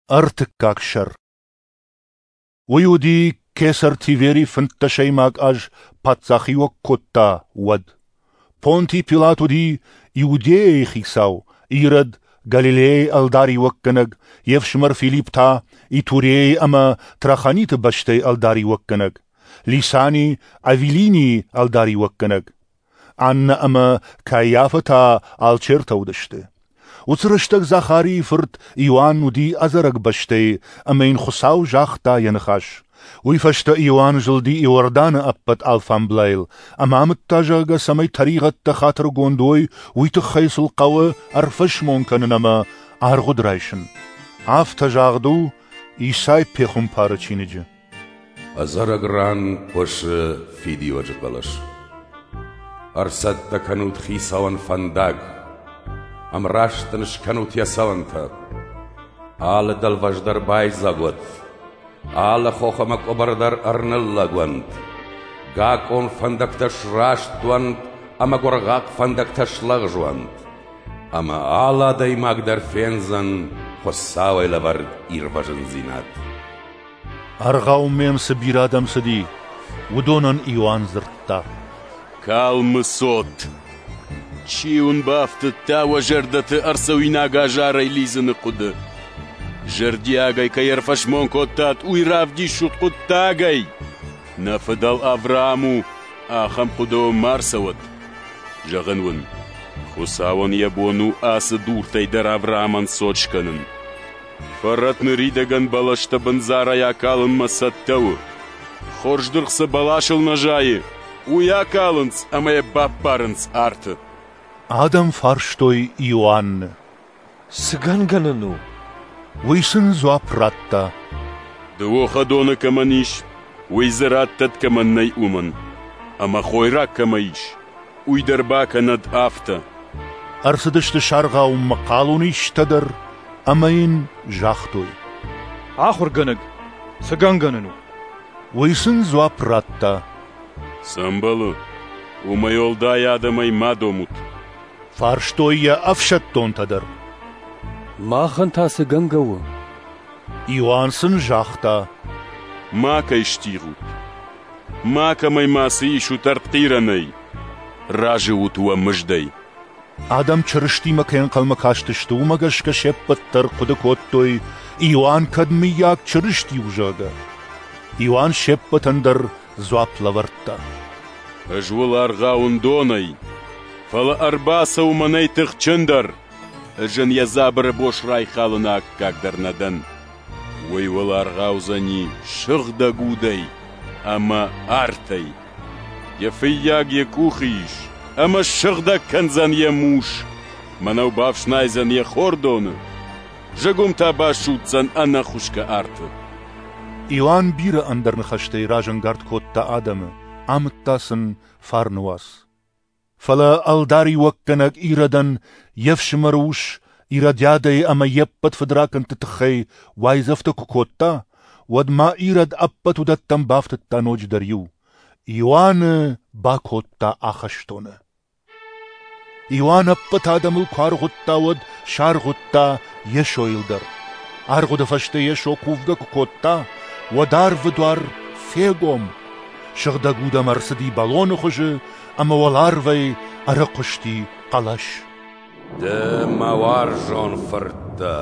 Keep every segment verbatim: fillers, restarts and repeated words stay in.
Ӕртыккаг сӕр. Уый уыди, кесӕр Тивери фынддӕсӕймаг аз паддзахиуӕг кодта, уӕд. Понти Пилат уыди Иудейӕйы хицау, Ирод Галилейӕйы ӕлдариуӕггӕнӕг, йе фсымӕр Филипп та Итурейы ӕмӕ Трахониты бӕстӕйы ӕлдариуӕггӕнӕг, Лисани Авилинийы ӕлдариуӕггӕнӕг. Аннӕ ӕмӕ Каиафӕ та алчертӕ уыдысты. Уыцы рӕстӕг Захарийы фырт Иоанн уыди ӕдзӕрӕг бӕстӕйы, ӕмӕ йын Хуыцау загъта йӕ ныхас. Уый фӕстӕ Иоанн зылди Иорданы ӕппӕт алфамблайыл ӕмӕ амыдта, зӕгъгӕ, цӕмӕй тӕригъӕдтӕ хатыргонд уой, уый тыххӕй сыл хъӕуы ӕрфӕсмон кӕнын ӕмӕ аргъуыд райсын. Афтӕ загъд у Исай пехуымпары чиныджы. Ӕдзӕрӕг ран хъуысы фидиуӕджы хъӕлӕс. Ӕрцӕттӕ кӕнут Хицауӕн фӕндаг, ӕмраст ын скӕнут йӕ цӕуӕнтӕ. Алы дӕлвӕз дӕр байдзаг уӕд, алы хох ӕмӕ къуыбыр дӕр ӕрныллӕг уӕнт. Гакъон фӕндӕгтӕ сраст уӕнт ӕмӕ гуыргъахъ фӕндӕгтӕ слӕгъз уӕнт. Ӕмӕ алы адӕймаг дӕр фендзӕн Хуыцауӕй лӕвӕрд ирвӕзындзинад. Аргъаумӕ йӕм цы бирӕ адӕм цыди, уыдонӕн Иоанн дзырдта: Калмы цот! Чи уын бафтыдта уӕ зӕрдӕты ӕрцӕуинаг азарӕй лидзыны хъуыды? Зӕрдиагӕй кӕй ӕрфӕсмон кодтат, уый равдисут хъуыддагӕй! Нӕ фыдӕл Авраам у, ахӕм хъуыды уӕм ма рцӕуӕд. Зӕгъын уын, Хуыцауӕн йӕ бон у ацы дуртӕй дӕр Авраамӕн цот скӕнын. Фӕрӕт ныридӕгӕн бӕлӕстӕ бындзарӕй акалынмӕ цӕттӕ у. Хорз дыргъ цы бӕласыл нӕ зайы, уый акалынц ӕмӕ йӕ баппарынц арты. Адӕм фарстой Иоанны: Цы гӕнгӕ нын у? Уый сын дзуапп радта: Дыууӕ хӕдоны кӕмӕн ис, уый дзы раттӕд, кӕмӕн нӕй, уымӕн. Ӕмӕ хойраг кӕмӕ ис, уый дӕр бакӕнӕд афтӕ. Ӕрцыдысты саргъауынмӕ хъалонисджытӕ дӕр ӕмӕ йын загътой: Ахуыргӕнӕг, цы гӕнгӕ нын у? Уый сын дзуапп радта: Цы ӕмбӕлы, уымӕй уӕлдай адӕмӕй ма домут. Фарстой йӕ ӕфсӕддонтӕ дӕр: Махӕн та цы гӕнгӕ у? Иоанн сын загъта: Макӕй стигъут, макӕмӕй мацы исут ӕртхъирӕнӕй, разы ут уӕ мыздӕй. Адӕм Чырыстимӕ кӕй ӕнхъӕлмӕ кастысты, уымӕ гӕсгӕ се ппӕт дӕр хъуыды кодтой, Иоанн кӕд мыййаг Чырысти у, зӕгъгӕ. Иоанн се ппӕтӕн дӕр дзуапп лӕвӕрдта: Ӕз уыл аргъауын донӕй, фӕлӕ ӕрбацӕуы мӕнӕй тыхджындӕр. Ӕз ын йӕ дзабыры бос райхалыны аккаг дӕр нӕ дӕн. Уый уыл аргъаудзӕни сыгъдӕг удӕй ӕмӕ артӕй. Йӕ фыййаг йӕ къухы ис, ӕмӕ ссыгъдӕг кӕндзӕн йӕ мус, мӕнӕу бафснайдзӕн йӕ хордоны, зыгуым та басудздзӕн ӕнӕхуысгӕ арты. Иоанн бирӕ ӕндӕр ныхӕстӕй разӕнгард кодта адӕмы, амыдта сын фарны уац. Фӕлӕ ӕлдариуӕггӕнӕг Иродӕн йе фсымӕры ус Иродиадӕйы ӕмӕ йе ппӕт фыдракӕндты тыххӕй уайдзӕфтӕ куы кодта, уӕд ма Ирод ӕппӕт уыдӕттӕм бафтыдта ноджыдӕр иу: Иоанны бакодта ахӕстоны. Иоанн ӕппӕт адӕмыл куы аргъуыдта, уӕд саргъуыдта Йесойыл дӕр. Аргъуыды фӕстӕ Йесо кувгӕ куы кодта, уӕд арвы дуар фегом. Сыгъдӕг Уд ӕм ӕрцыди бӕлоны хуызы, ӕмӕ уӕларвӕй ӕрыхъуысти хъӕлӕс: Ды мӕ уарзон фырт дӕ,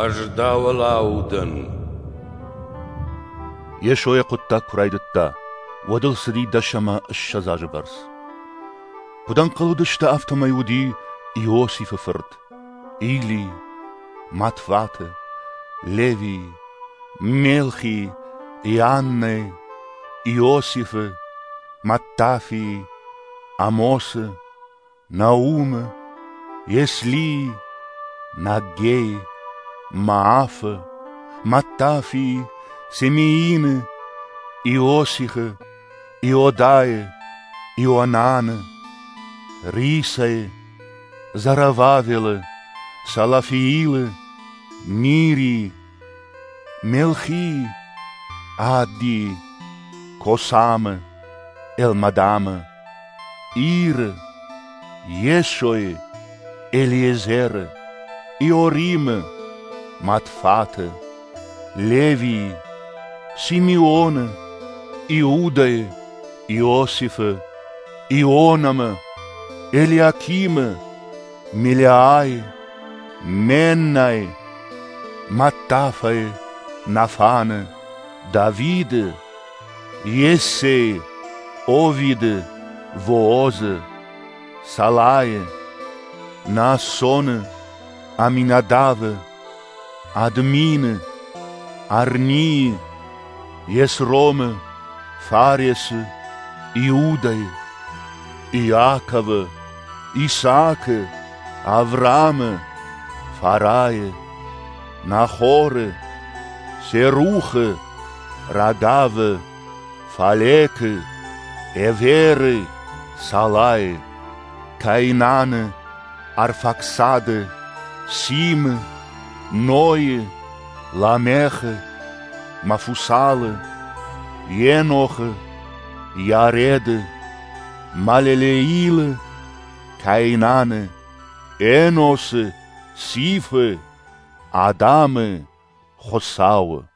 ӕз дӕуыл аудын. Йесо йӕ хъуыддаг куы райдыдта, уӕд ыл цыди дӕс ӕмӕ ссӕдз азы бӕрц. Куыд ӕнхъӕл уыдысты, афтӕмӕй уыди Иосифы фырт, Илий, Матфаты, Левийы, Мелхийы, Ианнӕйы, Иосифы, Маттафийы, Амосы, Наумы, Еслийы, Наггейы, Маафы, Маттафийы, Семиины, Иосихы, Иодайы, Ионаны, Рисайы, Зарававелы, Салафиилы, Нирийы, Мелхийы, Аддийы, Косамы, Элмадамы, Иры, Йесойы, Елиезеры, Иоримы, Матфаты, Левийы, Симеоны, Иудӕйы, Иосифы, Ионамы, Елиакимы, Мелиайы, Меннайы, Маттафайы, Нафаны, Давиды, Иессейы, Овиды, Воозы, Салайы, Наассоны, Аминадавы, Админы, Арнийы, Есромы, Фаресы, Иудӕйы, Иаковы, Исаакы, Авраамы, Фарайы, Нахоры, Серухы, Рагавы, Фалекы, Эверы, Салайы, Каинаны, Арфаксады, Симы, Нойы, Ламехы, Мафусалы, Енохы, Иареды, Малелеилы, Каинаны, Эносы, Сифы, Адамы, Хуыцауы.